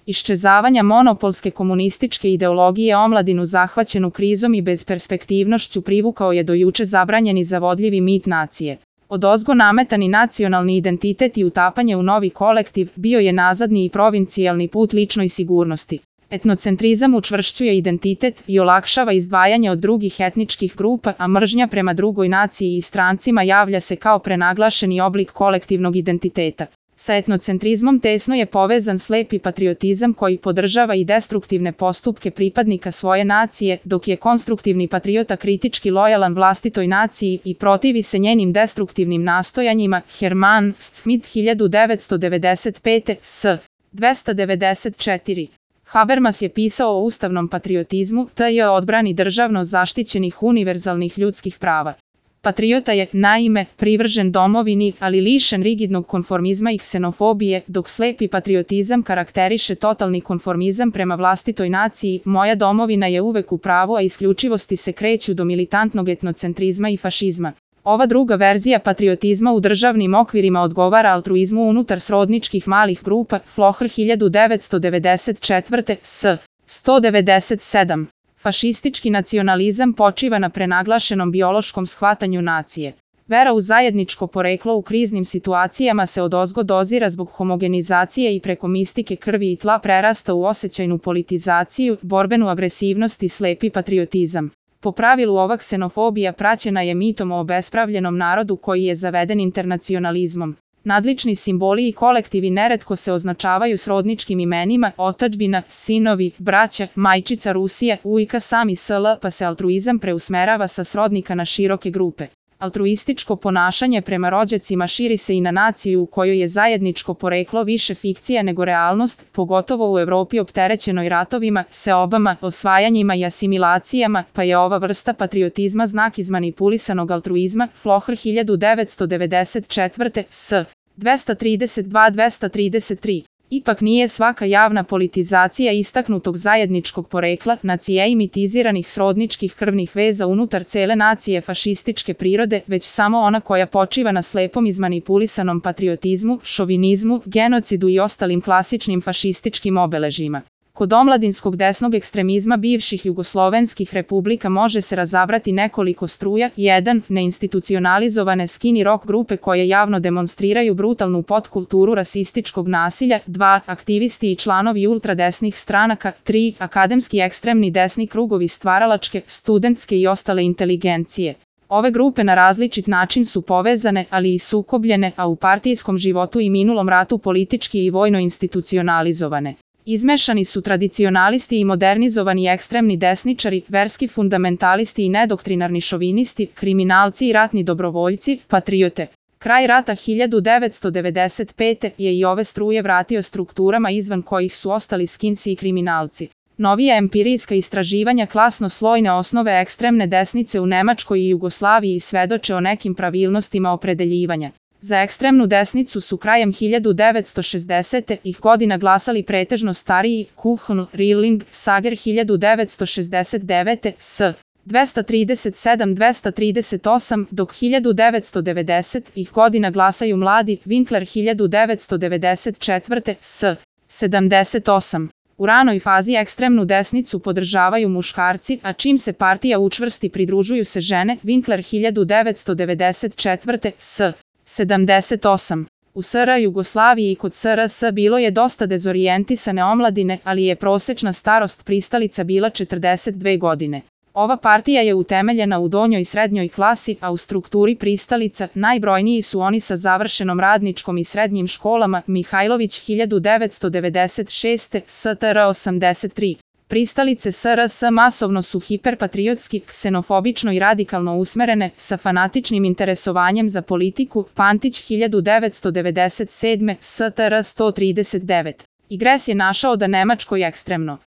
iščezavanja monopolske komunističke ideologije omladinu zahvaćenu krizom i bezperspektivnošću privukao je do juče zabranjeni zavodljivi mit nacije. Odozgo nametani nacionalni identitet i utapanje u novi kolektiv bio je nazadni i provincijalni put ličnoj sigurnosti. Etnocentrizam učvršćuje identitet i olakšava izdvajanje od drugih etničkih grupa, a mržnja prema drugoj naciji i strancima javlja se kao prenaglašeni oblik kolektivnog identiteta. Sa etnocentrizmom tesno je povezan slepi patriotizam koji podržava i destruktivne postupke pripadnika svoje nacije, dok je konstruktivni patriota kritički lojalan vlastitoj naciji i protivi se njenim destruktivnim nastojanjima. Herman Smith 1995. s. 294. Habermas je pisao o ustavnom patriotizmu, t.j. odbrani državno zaštićenih univerzalnih ljudskih prava. Patriota je, naime, privržen domovini, ali lišen rigidnog konformizma i ksenofobije, dok slepi patriotizam karakteriše totalni konformizam prema vlastitoj naciji. Moja domovina je uvek u pravu, a isključivosti se kreću do militantnog etnocentrizma i fašizma. Ova druga verzija patriotizma u državnim okvirima odgovara altruizmu unutar srodničkih malih grupa. Floher 1994. s. 197. Fašistički nacionalizam počiva na prenaglašenom biološkom shvatanju nacije. Vera u zajedničko poreklo u kriznim situacijama se odozgo dozira zbog homogenizacije i preko mistike krvi i tla prerasta u osjećajnu politizaciju, borbenu agresivnost i slepi patriotizam. Po pravilu ova ksenofobija praćena je mitom o obespravljenom narodu koji je zaveden internacionalizmom. Nadlični simboli i kolektivi neretko se označavaju srodničkim imenima: otadžbina, sinovi, braća, majčica Rusija, ujka sami sl, pa se altruizam preusmerava sa srodnika na široke grupe. Altruističko ponašanje prema rođacima širi se i na naciju u kojoj je zajedničko poreklo više fikcija nego realnost, pogotovo u Evropi opterećenoj ratovima, seobama, osvajanjima i asimilacijama, pa je ova vrsta patriotizma znak izmanipulisanog altruizma. Floher 1994. s. 232-233. Ipak nije svaka javna politizacija istaknutog zajedničkog porekla nacije i mitiziranih srodničkih krvnih veza unutar cele nacije fašističke prirode, već samo ona koja počiva na slepom izmanipulisanom patriotizmu, šovinizmu, genocidu i ostalim klasičnim fašističkim obeležjima. Kod omladinskog desnog ekstremizma bivših jugoslovenskih republika može se razabrati nekoliko struja: 1. Neinstitucionalizovane skinny rock grupe koje javno demonstriraju brutalnu podkulturu rasističkog nasilja, 2. Aktivisti i članovi ultradesnih stranaka, 3. Akademski ekstremni desni krugovi stvaralačke, studentske i ostale inteligencije. Ove grupe na različit način su povezane, ali i sukobljene, a u partijskom životu i minulom ratu politički i vojno institucionalizovane. Izmešani su tradicionalisti i modernizovani ekstremni desničari, verski fundamentalisti i nedoktrinarni šovinisti, kriminalci i ratni dobrovoljci, patriote. Kraj rata 1995. je i ove struje vratio strukturama izvan kojih su ostali skinsi i kriminalci. Novija empirijska istraživanja klasno-slojne osnove ekstremne desnice u Nemačkoj i Jugoslaviji svedoče o nekim pravilnostima opredeljivanja. Za ekstremnu desnicu su krajem 1960. godina glasali pretežno stariji: Kuhn, Rilling, Sager 1969. s. 237-238, dok 1990. godina glasaju mladi: Winkler 1994. s. 78. U ranoj fazi ekstremnu desnicu podržavaju muškarci, a čim se partija učvrsti pridružuju se žene: Winkler 1994. s. 78. U SR Jugoslaviji i kod SRS bilo je dosta dezorijentisane omladine, ali je prosečna starost pristalica bila 42 godine. Ova partija je utemeljena u donjoj i srednjoj klasi, a u strukturi pristalica najbrojniji su oni sa završenom radničkom i srednjim školama: Mihajlović 1996. STR 83. Pristalice SRS masovno su hiperpatriotski, ksenofobično i radikalno usmerene, sa fanatičnim interesovanjem za politiku: Pantić 1997. STR 139. Igres je našao da Nemačkoj ekstremno